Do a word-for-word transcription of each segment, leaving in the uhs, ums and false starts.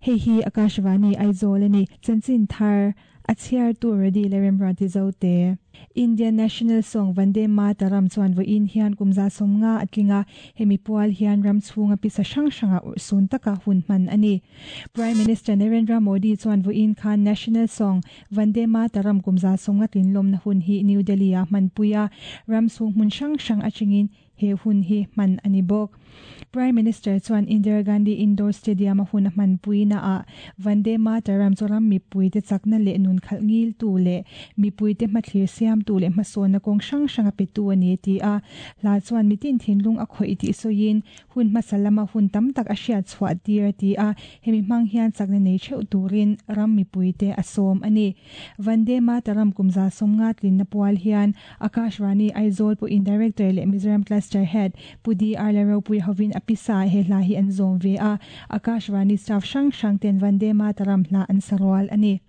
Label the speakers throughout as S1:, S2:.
S1: Hei hi Akashvani Aizawl ani chanchin thar a chhiar tu ready le remrati zote Indian National Song Vande Mataram chuan vo in hian kumza somnga atlinga hemi pual hian ram chhunga pisa hrang hranga ursun taka hun man ani Prime Minister Narendra Modi chuan vo in khan National Song Vande Mataram kumza somnga tlinlom na hun hi New Delhi a manpuia ram chung hmun hrang hrang achingin he hun hi man ani bok Prime Minister chuan Indira Gandhi Indoor Stadium a hun man puina a Vande Mataram choram mi puite chakna le nun khal ngil tu le mi puite mathlir siam tu le hmasawn na kawng hrang hrang a pe tu ani ti a hla chuan mitin thinlung a khawih tih sawiin hun hmasa lama hun tam tak a hriat chhuah tir ti a hemi hmang hian chakna nei theuh turin ram mi puite a sawm ani Vande Mataram kumza sawmnga tlin na pual hian Akashvani Aizawl pu in Director le Mizoram Cluster Head Pudi Arla Ropui hovin apisa he hla hi an zawm ve a Akashvani staff hrang hrang ten Vande Mataram hla an sarual ani.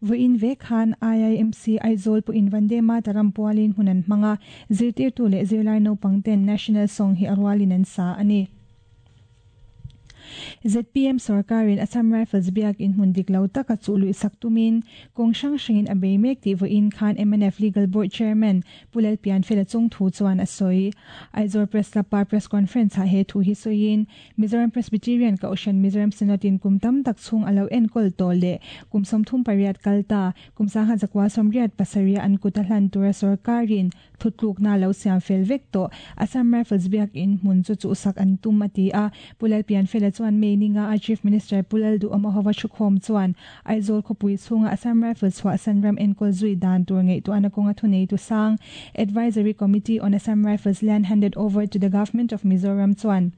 S1: Voin ve khan I I M C Aizawl pu in Vande Mataram pualin hunan hmanga zirtir tu le zirlai naupang ten National Song hi arwalin an sa ani. Z P M sarkarin Assam Rifles biak in hmun dik lo taka chului saktumin kawng hrang hrangin a bei mek tih voin khan M N F Legal Board Chairman Pulal Pianfela chung thu chuan a sawi Aizawl Press Club pa press conference ha he thu hi sawiin Mizoram Presbyterian ka Ocean Mizoram Synod in kum tam tak chung alo enkol to le kum sawmthum pariat kalta kum sangha zakwa sawmriat pasaria an kuta hlan tura sarkarin thutluk na lo siam fel vek to Assam Rifles biak in hmun chu chu sak an tum ati a Pulal Pianfela chuan May ninga a Chief Minister Pulal Du Amahova Chukhom chuan Aizawl khawpui chhunga Assam Rifles chhuah sanram enkol zui dan tur ngei tu anakonga thunei tu sang Advisory Committee on Assam Rifles land handed over to the Government of Mizoram chuan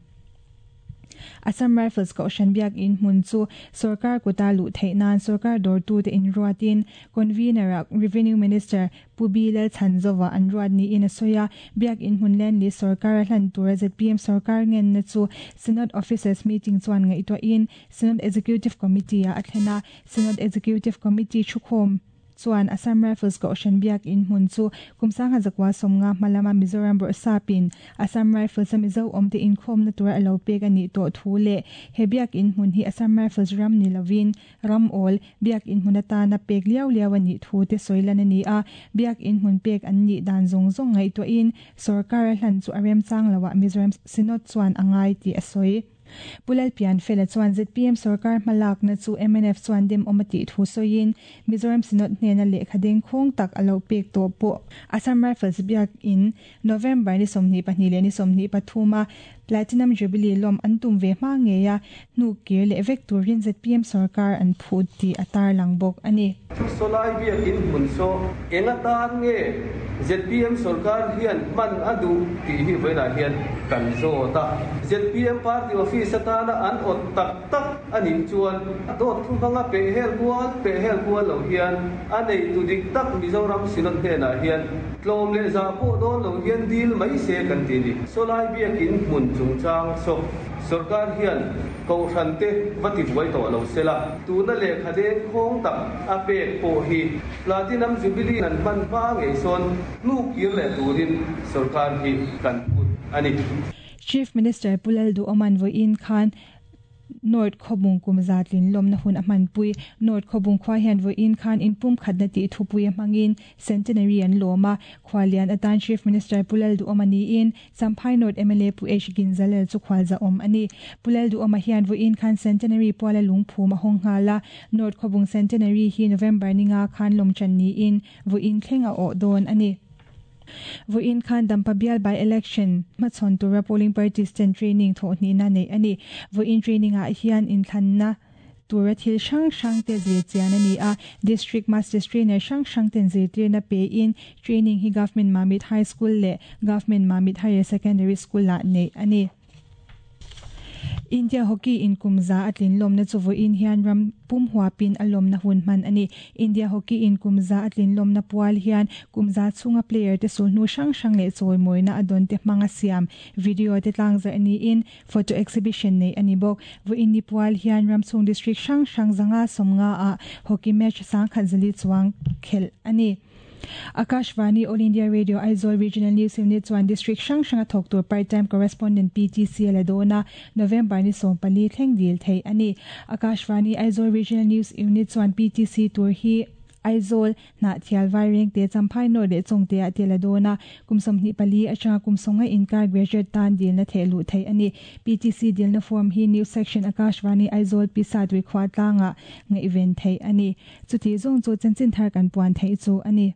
S1: Assam Rifles ka Ocean biak in hmun chu sarkar kuta lu theinan sarkar dor tu te in ruatin convener Revenue Minister Pubilal Chanzova an ruat ni in asoya biak in hmun land li sarkar hlan tur Z P M sarkar ngen na chu Synod Officers meeting chuan ngai to in Synod Executive Committee a athena Synod Executive Committee chukhom chuan Assam Rifles ka Ocean biak in hmun chu kumsanga zakwa somnga malama Mizoram bor sapin Assam Rifles a Mizo omte in khom na tur alo pek ani to thu le he biak in hmun hi Assam Rifles ram ni lovin ram ol biak in hmun ata na pek liau liau ani thu te soilan ani a biak in hmun pek an ni dan zong zong ngai to in sarkar hlan chu arem chang lawa Mizoram Synod chuan angai ti asoi Pulal Pianfela chuan Z P M sarkar hmalak na chu M N F chuan dem omati thu sawiin Mizoram Synod hnena lehkhadeng khawng tak alo pek tawh pawh Assam Rifles biak in November ni sawmhnih pahnih leh ni sawmhnih pathuma Platinum Jubilee lawm an tum ve hma ngei a hnu kir leh vek turin Z P M sarkar an phut ti a tar lang bawk ani.
S2: Solai biak in hmun saw enga tan nge Z P M sarkar hian man adu ti hi velah hian kan zo ta Z P M party office atana an ot tak tak ani chuan dot thu hanga pe hel kual pe hel kual lo hian anei tu dik tak Mizoram Synod hnenah hian tlawm leh za pawh dawn lo hian dil mai se kan ti ni solai biak in hmun chungchang saw sarkar hian kohhran te vati buai tawh lo sela tuna lehkhadeng khawng tak a pek pawh hi Platinum Jubilee an hman hma ngei sawn hnu kir leh turin sarkar hi kan put ani.
S1: Chief Minister Pulal Du Oman voin khan North Khawbung kum za tlin lawmna hun a hmanpui. North Khawbung khua hian vawiin khan inpum khatna tih thupui a hmangin Centenary an lawm a, khuallian atan Chief Minister Pu Lalduhawma niin Champhai North mla Pu H Ginzalel chu khualzahawm a ni. Pu Lalduhawma hian vawiin khan Centenary puala lungphum a hawng nghal a, North Khawbung Centenary hi November ninga khan lawmchan niin vawiin thleng a awh dawn a ni. Vawiin khan Dampa bial by election hmachhawn tura polling parties ten training thawhhnihna neih a ni. Vawiin training ah hian inthlanna tura thil hrang hrang te zir chian a ni a, District Masters Trainer hrang hrang ten zirtirna pe in training hi Government Mamit High School leh Government Mamit Higher Secondary School ah neih a ni. India Hockey in kum za a tlin lawmna chu vawiin hian ram pum huapin a lawmna hun hman a ni. India Hockey in kum za a tlin lawmna pual hian kum za chhunga player te sulhnu hrang hrang leh chawimawina a dawn te hmanga siam video te tlangzarh niin photo exhibition nei a ni bawk. Vawiin ni pual hian ram chhung district hrang hrang zanga sawmnga ah hockey match sangkhat zali chuang khelh a ni. Akashvani All India Radio Aizawl Regional News Unit chuan District hrang hranga thawk tur part-time correspondent PTC a la dawn a, November ni sawm pali thleng dil theih a ni. Akashvani Aizawl Regional News Unit chuan PTC tur hi Aizawl, Hnahthial Vairengte, Champhai North leh Chawngte ah te la dawn a, kum sawmhnih pali atanga kum sawnga inkar graduate tan dilna theh luh theih a ni. PTC dilna form hi News Section Akashvani Aizawl Pisa Tuikhua tlangah ngaihven theih a ni. Chuti zawng chu chanchin thar kan puan theih chu a ni.